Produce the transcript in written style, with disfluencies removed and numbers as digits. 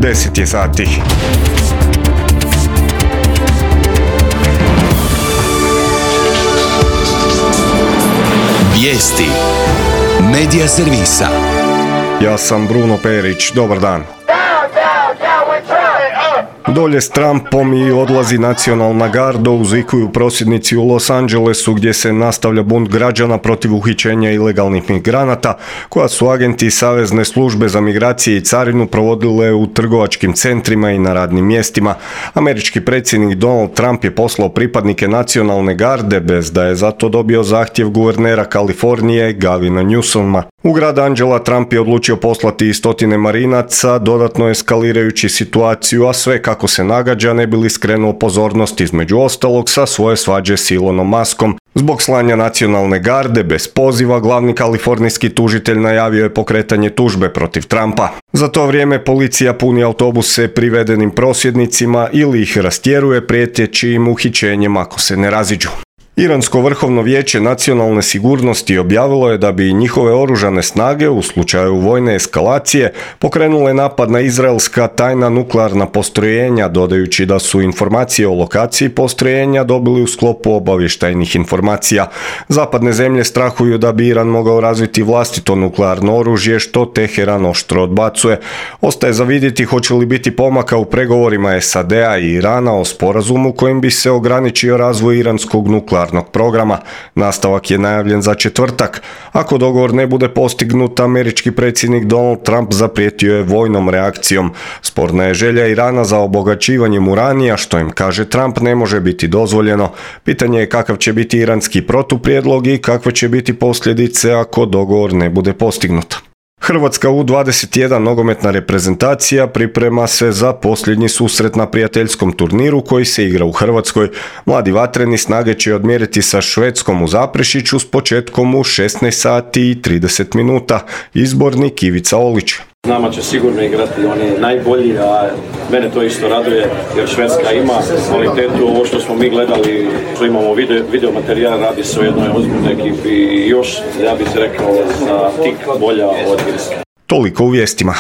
10 je sati. Vijesti Medija servisa. Ja sam Bruno Perić, dobar dan. Dolje s Trumpom i odlazi nacionalna garda, uzvikuju prosvjednici u Los Angelesu gdje se nastavlja bunt građana protiv uhićenja ilegalnih migranata koja su agenti Savezne službe za migracije i carinu provodile u trgovačkim centrima i na radnim mjestima. Američki predsjednik Donald Trump je poslao pripadnike nacionalne garde bez da je za to dobio zahtjev guvernera Kalifornije Gavina Newsoma. U grad Angela Trump je odlučio poslati i stotine marinaca, dodatno eskalirajući situaciju, a sve kako se nagađa ne bi li skrenuo pozornost između ostalog sa svoje svađe s Elonom Muskom. Zbog slanja nacionalne garde bez poziva, glavni kalifornijski tužitelj najavio je pokretanje tužbe protiv Trumpa. Za to vrijeme policija puni autobuse privedenim prosvjednicima ili ih rastjeruje prijeteći im uhićenjem ako se ne raziđu. Iransko vrhovno vijeće nacionalne sigurnosti objavilo je da bi njihove oružane snage u slučaju vojne eskalacije pokrenule napad na izraelska tajna nuklearna postrojenja, dodajući da su informacije o lokaciji postrojenja dobili u sklopu obavještajnih informacija. Zapadne zemlje strahuju da bi Iran mogao razviti vlastito nuklearno oružje, što Teheran oštro odbacuje. Ostaje za vidjeti hoće li biti pomaka u pregovorima SAD-a i Irana o sporazumu kojim bi se ograničio razvoj iranskog nuklearnog programa. Nastavak je najavljen za četvrtak. Ako dogovor ne bude postignut, američki predsjednik Donald Trump zaprijetio je vojnom reakcijom. Sporna je želja Irana za obogaćivanjem uranija, što im kaže Trump ne može biti dozvoljeno. Pitanje je kakav će biti iranski protuprijedlog i kakve će biti posljedice ako dogovor ne bude postignut. Hrvatska U21 nogometna reprezentacija priprema se za posljednji susret na prijateljskom turniru koji se igra u Hrvatskoj. Mladi vatreni snage će odmjeriti sa Švedskom u Zaprešiću s početkom u 16 sati i 30 minuta. Izbornik Ivica Olić. S nama će sigurno igrati oni najbolji, a mene to isto raduje jer Švedska ima kvalitetu. Ovo što smo mi gledali, što imamo video materijal, radi se o jednoj ozbiljnoj ekipi i još, ja bih se rekao, za tik bolja od Irske. Toliko u vijestima.